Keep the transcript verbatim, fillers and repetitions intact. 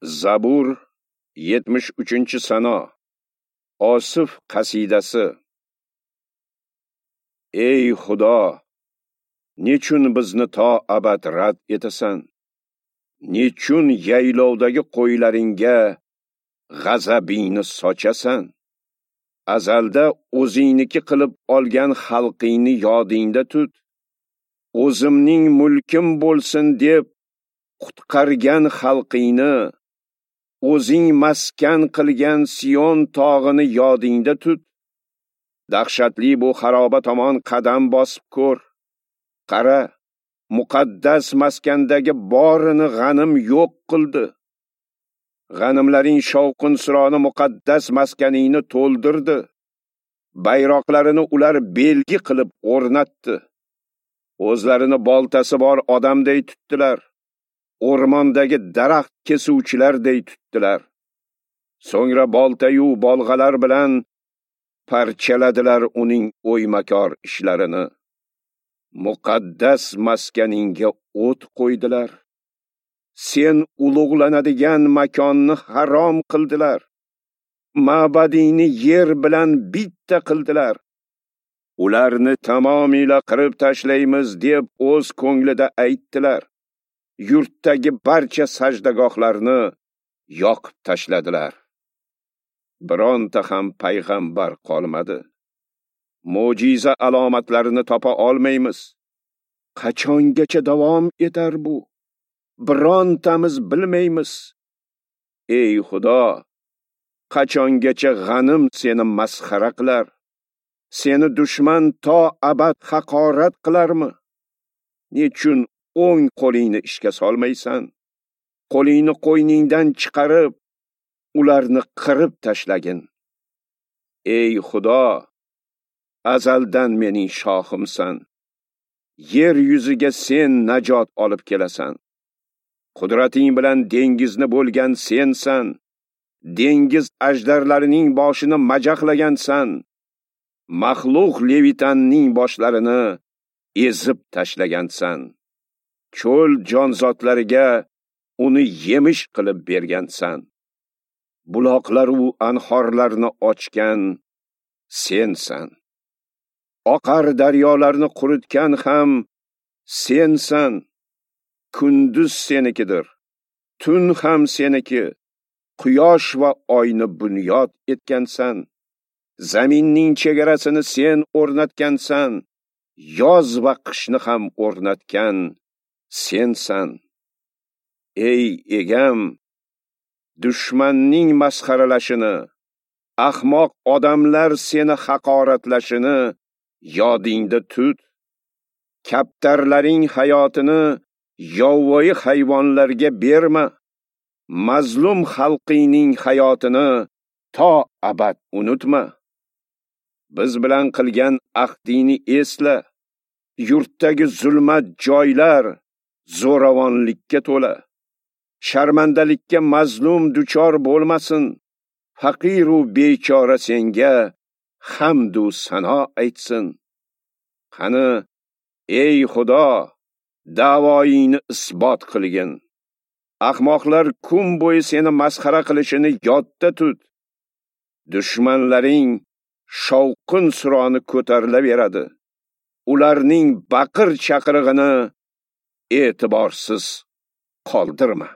Zabur yetmish uchinchi sano. Osif qasidasi. Ey Xudo, nechun bizni to abad rad etasan? Nechun yaylovdagi qo'ylaringga g'azabingni sochasan? Azalda o'zingniki qilib olgan xalqingni yodingda tut. O'zimning mulkim bo'lsin deb qutqargan xalqingni, o'zing maskan qilgan Sion tog'ini yodingda tut. Dahshatli bu xaroba tomon qadam bosib ko'r. Qara, muqaddas maskandagi borini g'anim yo'q qildi. G'animlaring shovqin-suroni muqaddas maskaningni to'ldirdi. Bayroqlarini ular belgi qilib o'rnatdi. O'zlarini boltasi bor odamday tutdilar. O'rmondagi daraxt kesuvchilarday tutdilar. So'ngra boltayu bolg'alar bilan parchaladilar uning o'ymakor ishlarini. Muqaddas maskaningga o't qo'ydilar. Sen ulug'lanadigan makonni harom qildilar. Ma'badingni yer bilan bitta qildilar. Ularni tamomila qirib tashlaymiz deb o'z ko'nglida aytdilar. Yurtdagi barcha sajdagohlarni yoqib tashladilar. Bironta ham payg'ambar qolmadi. Mo'jiza alomatlarini topa olmaymiz. Qachongacha davom etar bu? Birontamiz bilmaymiz. Ey Xudo, qachongacha g'anim seni masxara qilar? Seni dushman to abad haqorat qilarmi? Nechun o'ng qo'lingni ishga solmaysan? Qo'lingni qo'yningdan chiqarib, ularni qirib tashlagin. Ey Xudo, azaldan mening shohimsan. Yer yuziga sen najot olib kelasan. Qudrating bilan dengizni bo'lgan sensan. Dengiz ajdarlarining boshini majaqlagansan. Maxluq Levitanning boshlarini ezib tashlagansan. Cho'l jonzotlariga uni yemish qilib bergansan. Buloqlar u anhorlarni ochgan sensan. Oqar daryolarni quritgan ham sensan. Kunduz senikidir, tun ham seniki. Quyosh va oyni bunyod etgansan. Zaminning chegarasini sen o'rnatgansan. Yoz va qishni ham o'rnatgan sensan. Ey egam, dushmanning masxaralashini, ahmoq odamlar seni haqoratlashini yodingda tut. Kaptarlaring hayotini yovvoyi hayvonlarga berma. Mazlum xalqingning hayotini to abad unutma. Biz bilan qilgan ahdingni esla. Yurtdagi zulmat joylar zo'ravonlikka to'la. Sharmandalikka mazlum duchor bo'lmasin. Faqir u bechora senga hamd u sano aytsin. Qani, ey Xudo, da'voyingni isbot qilgin. Ahmoqlar kun bo'yi seni masxara qilishini yodda tut. Dushmanlaring shovqin-suroni ko'tarilaveradi. Ularning baqir chaqirig'ini e'tiborsiz qoldirma.